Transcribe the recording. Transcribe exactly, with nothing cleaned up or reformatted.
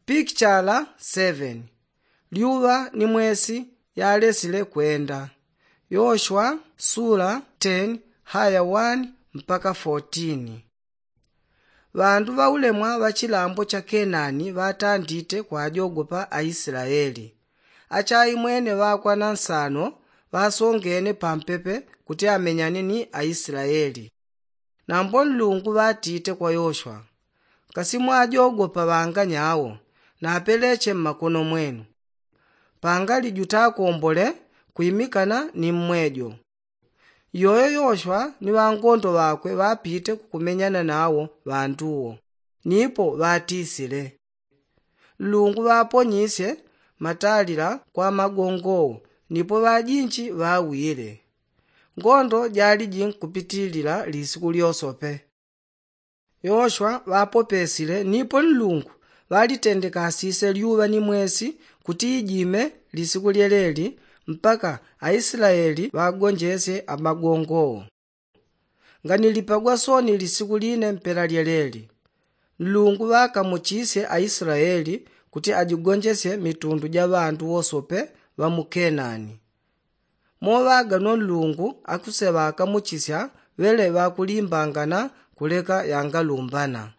Pikichala seven. Lyuŵa ni mwesi yalesile kwenda. Yoshwa sula ten haya one mpaka fourteen. Ŵandu ŵaulemwa ŵa chilambo cha kenani ŵatandite kwajogopa aislaeli. Achaimwene ŵakwana nsano ŵasongene pampepe kuti amenyane ni aislaeli. Nambo nlungu ŵatite kwa yoshwa, kasi mwajogopa ŵanganya awo? Napeleche mmakono mwenu. Pangali jutakombole kwimikana ni mmwejo. Iyoyo yoshwa ni ŵangondo ŵakwe ŵapite kukumenyana nawo ŵandu wo. Nipo ŵatisile, nlungu ŵaponyisye matalila kwa magongo wo. Nipo ŵajinji ŵawile. Ngondo jaliji nkupitilila lisiku lyosope. Yoshwa ŵapopesile nipo nlungu ŵalitendekasisye lyuŵa ni mwesi kuti ijime lisiku lyeleli mpaka aislaeli ŵagonjesye amagongo wo. Nganilipagwa soni lisiku line mpela lyeleli. Nlungu ŵakamuchisye aislaeli kuti ajigonjesye mitundu ja ŵandu wosope ŵa mu kenani. Moŵaga no nlungu akuseŵa akamuchisya ŵele ŵakulimbangana kuleka yangalumbana.